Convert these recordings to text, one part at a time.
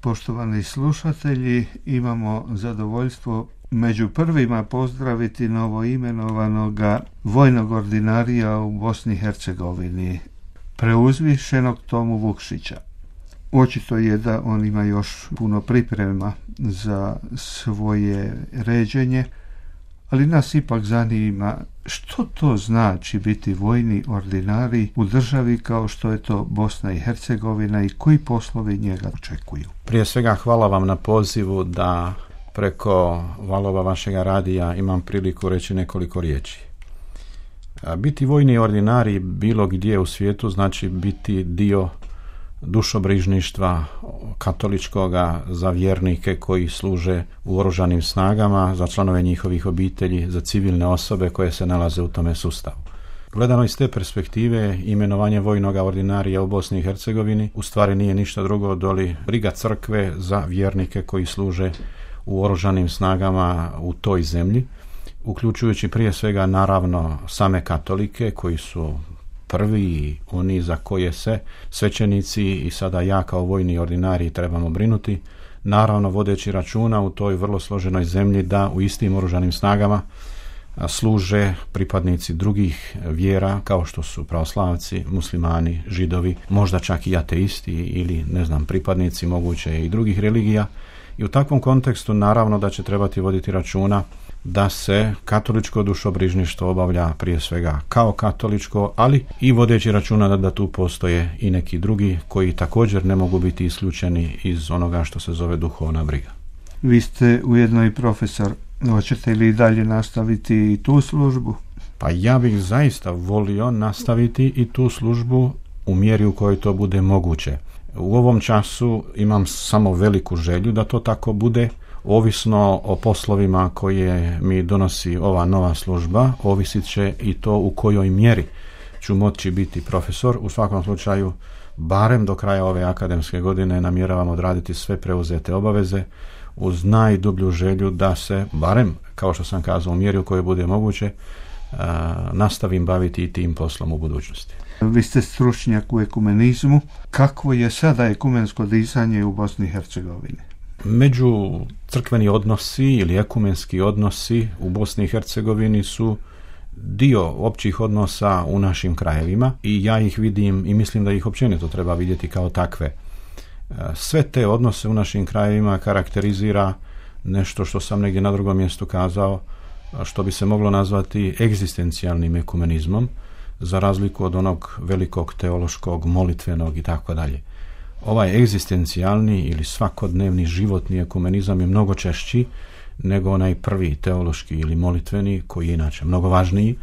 Poštovani slušatelji, imamo zadovoljstvo među prvima pozdraviti novoimenovanoga vojnog ordinarija u Bosni i Hercegovini, preuzvišenog Tomu Vukšića. Očito je da on ima još puno priprema za svoje ređenje, ali nas ipak zanima što to znači biti vojni ordinarij u državi kao što je to Bosna i Hercegovina i koji poslovi njega očekuju. Prije svega hvala vam na pozivu da preko valova vašega radija imam priliku reći nekoliko riječi. Biti vojni ordinarij bilo gdje u svijetu znači biti dio dušobrižništva katoličkoga za vjernike koji služe u oružanim snagama, za članove njihovih obitelji, za civilne osobe koje se nalaze u tome sustavu. Gledano iz te perspektive, imenovanje vojnog ordinarija u Bosni i Hercegovini u stvari nije ništa drugo doli briga crkve za vjernike koji služe u oružanim snagama u toj zemlji, uključujući prije svega naravno same katolike koji su prvi oni za koje se svećenici i sada ja kao vojni ordinarij trebamo brinuti, naravno vodeći računa u toj vrlo složenoj zemlji da u istim oružanim snagama služe pripadnici drugih vjera kao što su pravoslavci, muslimani, židovi, možda čak i ateisti ili pripadnici moguće i drugih religija. I u takvom kontekstu naravno da će trebati voditi računa da se katoličko dušobrižništvo obavlja prije svega kao katoličko, ali i vodeći računa da tu postoje i neki drugi koji također ne mogu biti isključeni iz onoga što se zove duhovna briga. Vi ste ujedno i profesor. Hoćete li dalje nastaviti i tu službu? Pa ja bih zaista volio nastaviti i tu službu u mjeri u kojoj to bude moguće. U ovom času imam samo veliku želju da to tako bude. Ovisno o poslovima koje mi donosi ova nova služba, ovisit će i to u kojoj mjeri ću moći biti profesor. U svakom slučaju, barem do kraja ove akademske godine namjeravam odraditi sve preuzete obaveze uz najdublju želju da se, barem, kao što sam kazao, u mjeri u kojoj bude moguće, nastavim baviti i tim poslom u budućnosti. Vi ste stručnjak u ekumenizmu. Kakvo je sada ekumensko disanje u Bosni i Hercegovini? Među crkveni odnosi ili ekumenski odnosi u Bosni i Hercegovini su dio općih odnosa u našim krajevima i ja ih vidim i mislim da ih općenito treba vidjeti kao takve. Sve te odnose u našim krajevima karakterizira nešto što sam negdje na drugom mjestu kazao, što bi se moglo nazvati egzistencijalnim ekumenizmom, za razliku od onog velikog teološkog, molitvenog i tako dalje. Ovaj egzistencijalni ili svakodnevni životni ekumenizam je mnogo češći nego onaj prvi teološki ili molitveni koji je inače mnogo važniji.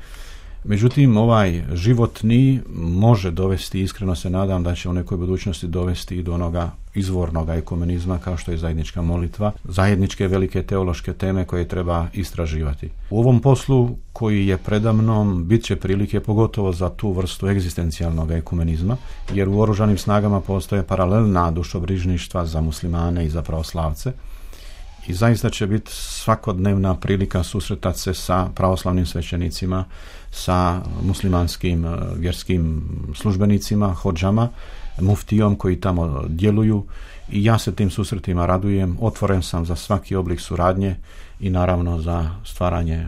Međutim, ovaj životni može dovesti, iskreno se nadam da će u nekoj budućnosti dovesti i do onoga izvornog ekumenizma kao što je zajednička molitva, zajedničke velike teološke teme koje treba istraživati. U ovom poslu koji je predamnom bit će prilike pogotovo za tu vrstu egzistencijalnog ekumenizma, jer u oružanim snagama postoje paralelna dušobrižništva za muslimane i za pravoslavce. I zaista će biti svakodnevna prilika susretati se sa pravoslavnim svećenicima, sa muslimanskim vjerskim službenicima, hodžama, muftijom koji tamo djeluju i ja se tim susretima radujem, otvoren sam za svaki oblik suradnje i naravno za stvaranje,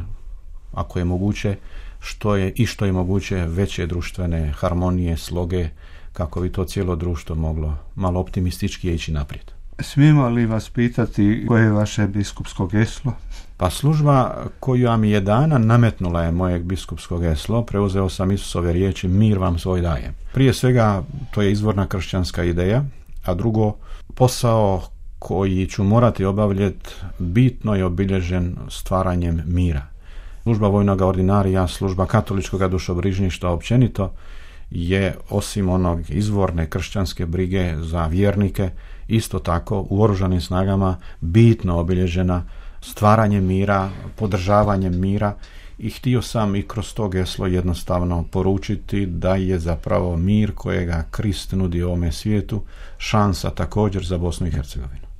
ako je moguće, što je moguće veće društvene harmonije, sloge, kako bi to cijelo društvo moglo malo optimistički ići naprijed. Smijemo li vas pitati koje je vaše biskupsko geslo? Pa služba koju mi je dana nametnula je mojeg biskupskog geslo. Preuzeo sam Isusove riječi, mir vam svoj dajem. Prije svega to je izvorna kršćanska ideja, a drugo, posao koji ću morati obavljati bitno je obilježen stvaranjem mira. Služba vojnog ordinarija, služba katoličkog dušobrižništva općenito je osim onog izvorne kršćanske brige za vjernike isto tako u oružanim snagama bitno obilježena stvaranjem mira, podržavanjem mira i htio sam i kroz to geslo jednostavno poručiti da je zapravo mir kojega Krist nudi ovome svijetu šansa također za Bosnu i Hercegovinu.